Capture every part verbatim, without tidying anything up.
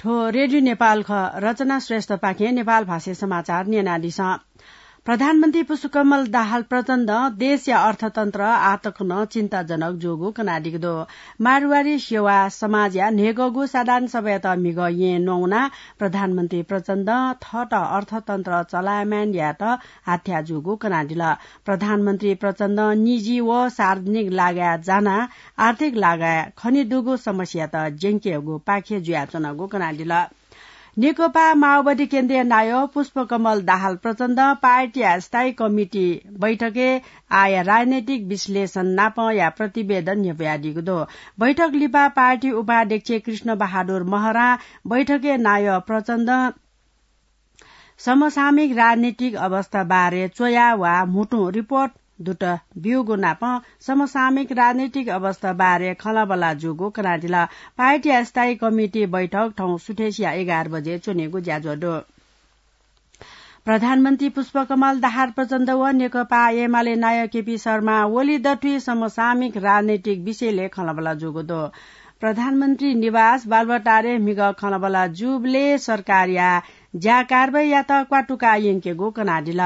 थ्व रेडियो नेपाल खः। रचना श्रेष्ठपाखें नेपाल भाषाय् समाचार न्यनादिसँ। प्रधानमन्त्री पुष्पकमल दाहाल प्रचण्डं देशया अर्थतन्त्र आःतक नं चिन्ताजनक जूगु कनादीगु दु। मारवाडी सेवा समाजया न्हय्‌गःगु साधारण सभायात म्हिगः येँ न्वंगुना प्रधानमन्त्री प्रचण्डं थःत अर्थतन्त्र चलायमान यायेत हाथ्या जूगु कनादिल। प्रधानमन्त्री प्रचण्डं निजी व सार्वजनिक लागाय् जानाः आर्थिक लागाय् खनेदुगु समस्यात ज्यंकेगु पाखे जुयाच्वनागु कनादिल। नेकपा माओवादी केन्द्रीय नायः पुष्पकमल दाहाल प्रचण्डं पार्टीया स्थायी कमिटी बैठकय् आःया राजनैतिक विश्लेषण नापंया प्रतिवेदन न्ह्यब्वयादीगु दु। बैठक लिपा पार्टी उपाध्यक्ष कृष्ण बहादुर महरां बैठकय् नायः प्रचण्डं समसामयिक राजनीतिक अवस्था बारे च्वया वा म्हुतुं रिपोर्ट दुत ब्यूगु नापं समसामयिक राजनीतिक अवस्था बारे खँल्हाबल्हा जूगु कनादिल। पार्टीया स्थायी कमिटी बैठक थौं सुथय्‌सिया एघार बजे च्वनेगु ज्याझ्वः दु। प्रधानमन्त्री पुष्पकमल दाहाल प्रचण्ड व नेकपा एमाले नायः केपी शर्मा ओली दथुइ समसामयिक राजनैतिक विषयलय् खँल्हाबल्हा जूगु दु। प्रधानमन्त्री निवास बालुवाटारय् म्हिगः खँल्हाबल्हा जूबलय् सरकारया ज्या कारवाहीयात क्वातुका यंकेगु कनादिल।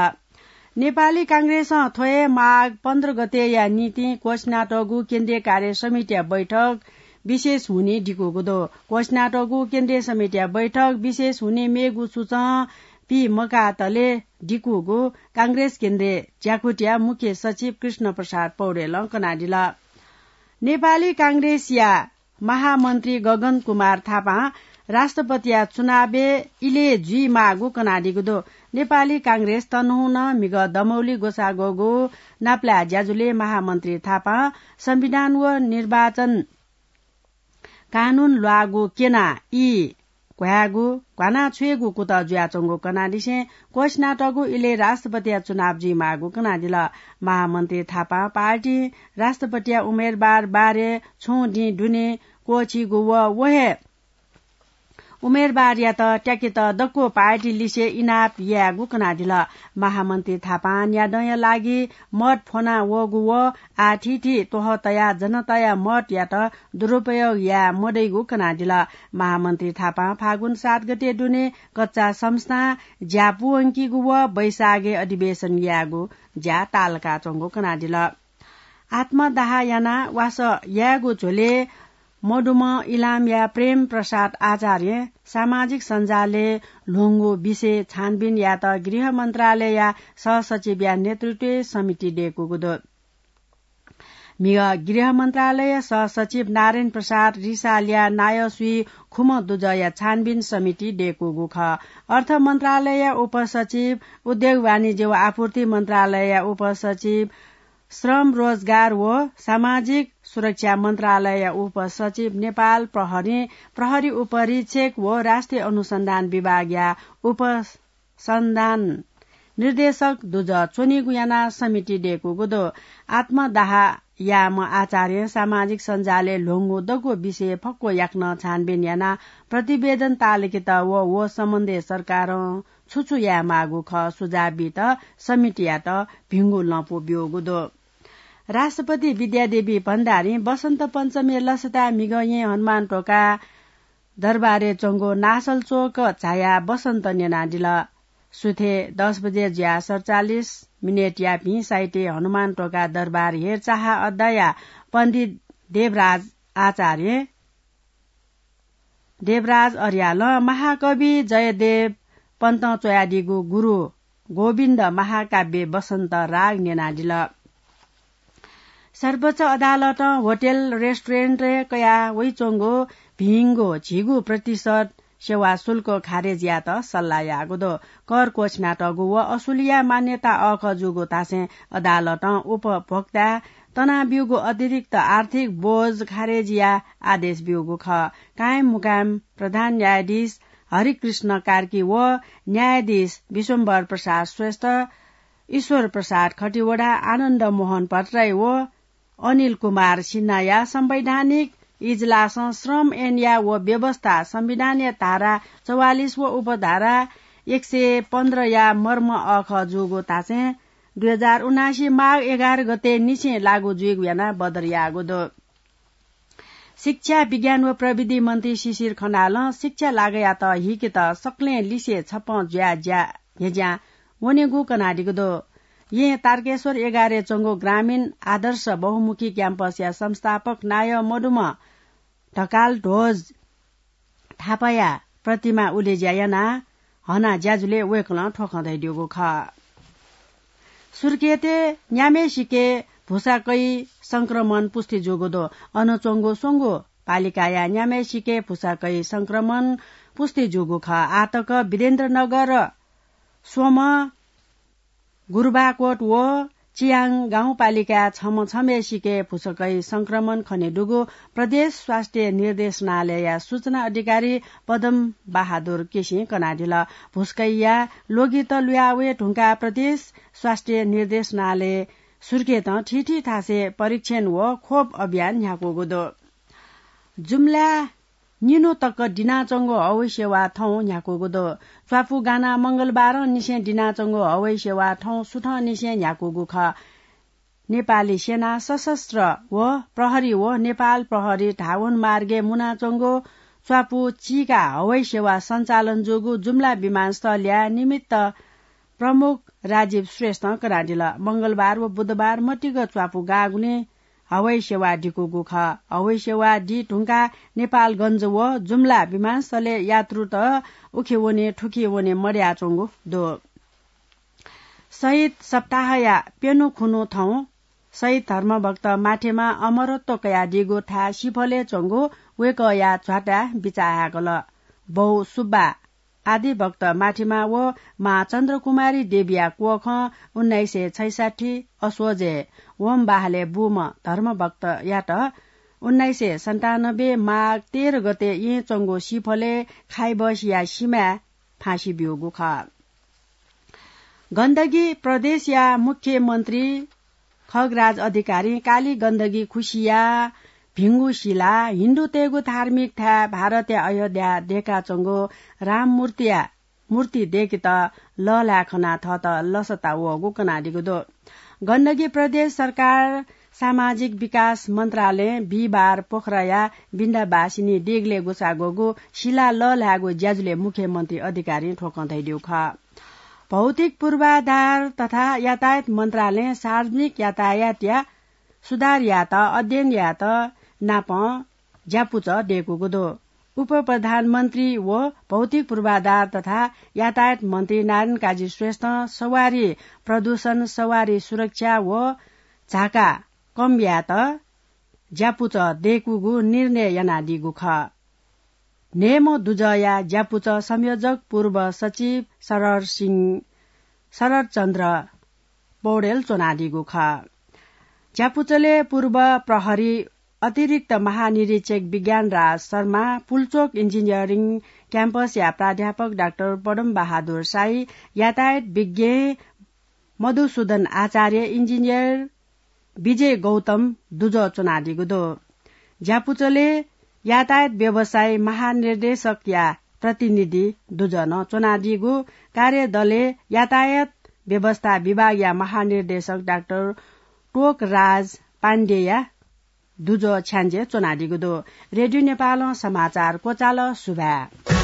नेपाली कांग्रेसं थ्व हे माघ पन्ध्र गतेया निंतिं क्वःछिनातःगु केन्द्रीय कार्य समितिया बैठक विशेष हुने दिकूगु दु। क्वःछिनातःगु केन्द्रीय समितिया बैठक विशेष हुने मेगु सूचं पी मकातले दिकूगु कांग्रेस केन्द्रीय ज्याकुथिया मुख्य सचिव कृष्ण प्रसाद पौडेलं कनादिल। नेपाली कांग्रेसया महामन्त्री गगन कुमार थापां राष्ट्रपतिया चुनावय् इलय् जुइमाःगु कनादीगु दु। नेपाली कांग्रेस तनहुं नं म्हिगः दमौली ग्वसाः ग्वःगु नापलाये ज्याझ्वलय् महामन्त्री थापां संविधान व निर्वाचन कानून ल्वाःगु क्यनाः ई घ्वायेगु, घ्वाना छ्वयेगु कुतः जुयाच्वंगु कनादिसें क्वःछिनातःगु इलय् राष्ट्रपतिया चुनाव जुइमाःगु कनादिल। महामन्त्री थापां पार्टीं राष्ट्रपतिया उम्मेदवार बारे छुं दिं दुने क्वःछीगु व व हे उम्मेदवारयात त्याकेत दक्व पार्टी लिसे इनाप यायेगु कनादिल। महामन्त्री थापां न्यादँया लागि मत फ्वना वःगु व आः थीथी त्वहः तयाः जनताया मतयात दुरुपयोग याये मदइगु कनादिल। महामन्त्री थापां फागुन सात गते दुने कच्चा संस्थां ज्या पूवंकीगु व वैशाखय् अधिवेशन यायेगु ज्या ताःलाकाच्वंगु कनादिल। आत्मदाह यानाः वासः यायेगु झ्वलय् मदुम्ह इलामया प्रेम प्रसाद आचार्यं सामाजिक सञ्जालय् ल्ह्वंगु विषय छानबिन यायेत गृह मन्त्रालयया सहसचिवया नेतृत्वय् समिति दय्‌कूगु दु। म्हिगः गृह मन्त्रालय सहसचिव नारायण प्रसाद रिसालया नायःसुइ खुम्ह दुजःया छानबिन समिति दय्‌कूगु खः। अर्थ मन्त्रालयया उपसचिव, उद्योग वाणिज्य व आपूर्ति मन्त्रालयया उपसचिव, श्रम रोजगार व सामाजिक सुरक्षा मन्त्रालयया उपसचिव, नेपाल प्रहरी, प्रहरी उपरीक्षक व राष्ट्रिय अनुसन्धान विभागया उपसन्धान निर्देशक दुजः च्वनीगु यानाः समिति दय्‌कूगु दु। आत्मदाह याःम्ह आचार्यं सामाजिक सञ्जालय् ल्ह्वंगु दक्व विषय फक्व याकनं छानबिन यानाः प्रतिवेदन ताःलाकेत व व सम्बन्धय् सरकारं छु छु यायेमाःगु खः सुझाव बीत समितियात भिंगु लँपु ब्यूगु दु। राष्ट्रपति विद्यादेवी भण्डारीं वसन्त पञ्चमीया लसताय् म्हिगः येँ हनुमान ढोका दरबारय् च्वंगु नासलचोक झायाः वसन्त न्यनादिल। सुथय् दस बजे जुयाः सतचालिस मिनेटया भिं साहित्यय् हनुमान ढोका दरबार हेरचाह अड्डाया पण्डित देवराज आचार्य देवराज अर्यालं महाकवि जयदेव पन्तं च्वयादीगु गुरु गोविन्द महाकाव्य वसन्त राग न्यनादिल। सर्वोच्च अदालतं होटेल रेस्टुरेन्टय् कयाः वइच्वंगु भिंगु झिगू प्रतिशत सेवा शुल्क खारेज यायेत सल्लाह याःगु दु। कर क्वःछिनातःगु व असुलिया मान्यता अःखः जूगु धासें अदालतं उपभोक्ताय् तनाब्यूगु अतिरिक्त आर्थिक बोझ खारेज याये आदेश ब्यूगु खः। कायम मुकायम प्रधान न्यायाधीश हरिकृष्ण कार्की व न्यायाधीश विश्वम्भर प्रसाद श्रेष्ठ, ईश्वर प्रसाद खतिवडा, आनन्द मोहन भट्टराई व अनिल कुमार सिन्हाया संवैधानिक इजलासं श्रम ऐनया व व्यवस्था संविधानया धारा चौवालिस व उपधारा एक सय पन्ध्रया मर्म अःखः जूगु धासें दुई हजार उनासी माघ एघार गते निसें लागू जुइगु यानाः बदर याःगु दु। शिक्षा, विज्ञान व प्रविधि मन्त्री शिशिर खनालं शिक्षा लागयात हिकेत सकलें लिसे छप्पँ जुया ज्या न्ह्यज्यां वनेगु कनादीगु दु। यें तारकेश्वर एघारय् च्वंगु ग्रामीण आदर्श बहुमुखी क्याम्पसया संस्थापक नायः मदुम्ह ढकाल ध्वज थापाया प्रतिमा उलेज्या यानाः हना ज्याझ्वलय् वय्कलं थ्व खँ धयादीगु खः। सुर्खेतय् न्याम्हय्सिके भुसाकैया संक्रमण पुष्टि जूगु दु। अन च्वंगु स्वंगू पालिकाया न्याम्हय्सिके भुसाकैया संक्रमण पुष्टि जूगु खः। आःतक वीरेन्द्रनगर, स्वम्ह, गुरुबाकोट व चियाङ गाउँपालिकाय् छम्ह छम्हय्सिके भुसाकैया संक्रमण खनेदुगु प्रदेश स्वास्थ्य निर्देशनालयया सूचना अधिकारी पदम बहादुर केसीं कनादिल। भुसाकैया लोगित लुयावये धुंकाः प्रदेश स्वास्थ्य निर्देशनालय सुर्खेतं थीथी थासय् परीक्षण व खोप अभियान न्ह्याकूगु दु। जुम्ला निन्हु तक दिनाच्वंगु हवाई सेवा थौं न्ह्याकूगु दु। च्वापु गानाः मंगलबारं निसें दिनाच्वंगु हवाई सेवा थौं सुथंनिसें न्ह्याकूगु खः। नेपाली सेना, सशस्त्र व प्रहरी व नेपाल प्रहरी धावन मार्गय् मुनाच्वंगु च्वापु चीका हवाई सेवा सञ्चालन जूगु जुम्ला विमानस्थलया निमित्त प्रमुख राजीव श्रेष्ठं कनादिल। मंगलबार व बुधबार मतिक च्वापु गाःगुलिं हवाई सेवा दिकूगु खः। हवाई सेवा दी धुंकाः नेपालगञ्ज व जुम्ला विमानस्थलय् यात्रुत उखे वने थुखे वने मदयाच्वंगु दु। शहीद सप्ताहया प्यन्हु खुन्हु थौं शहीद धर्मभक्त माथेमां अमरत्व कयादीगु थाय् सिफलय् च्वंगु वय्कःया झ्वाताय् बिचाः हाय्कल। बौ सुब्बा आदिभक्त माथेमा व मां चन्द्रकुमारी देवीया क्वखं उन्नाइस सय छैसठ्ठी असोजय् वंबहालय् बूम्ह धर्मभक्तयात उन्नाइस सय सन्तानब्बे माघ तेह्र गते यें च्वंगु सिफलय् खाइबसया सिमाय् फाँसी ब्यूगु खः। गण्डकी प्रदेशया मुख्यमन्त्री खगराज अधिकारीं काली गण्डकी खुसिया भिंगु सिला हिन्दूतय्गु धार्मिक थाय् भारतया अयोध्या दय्काच्वंगु राम मूर्तिया, मूर्ति दय्केत लःल्हाये खनाः थःत लसता वःगु कनादीगु दु। गण्डकी प्रदेश सरकार सामाजिक विकास मन्त्रालयं बिहिबार पोखराया बिन्दाबासिनी देगलय् ग्वसाः ग्वःगु सिला लःल्हायेगु ज्याझ्वलय् मुख्यमन्त्री अधिकारीं थ्व खँ धयादीगु खः। भौतिक पूर्वाधार तथा यातायात मन्त्रालयं सार्वजनिक यातायातया सुधार यायेत अध्ययन यायेत नापं ज्यापुचः दय्कूगु दु। उपप्रधानमन्त्री व भौतिक पूर्वाधार तथा यातायात मन्त्री नारायण काजी श्रेष्ठं सवारी प्रदूषण, सवारी सुरक्षा व झाका कम यायेत ज्यापुचः दय्कूगु निर्णय यानादीगु खः। न्हय्म्ह दुजःया ज्यापुचः संयोजक पूर्व सचिव शरद सिंह, शरद चन्द्र पौडेल च्वनादीगु खः। ज्यापुचलय् पूर्व प्रहरी अतिरिक्त महानिरीक्षक विज्ञान राज शर्मा, पुल्चोक इन्जिनियरिङ क्याम्पसया प्राध्यापक डाक्टर पदम बहादुर शाही, यातायात विज्ञ मधुसूदन आचार्य, इन्जिनियर विजय गौतम दुजः च्वनादीगु दु। ज्यापुचलय् यातायात व्यवसाय महानिर्देशकया प्रतिनिधि दुजः नं च्वनादीगु कार्यदलय् यातायात व्यवस्था विभागया महानिर्देशक डाक्टर टोकराज पाण्डेया दुजः छ्याञ्जे च्वनादीगु दु। रेडियो नेपालं समाचार क्वचाल। सुभाय्।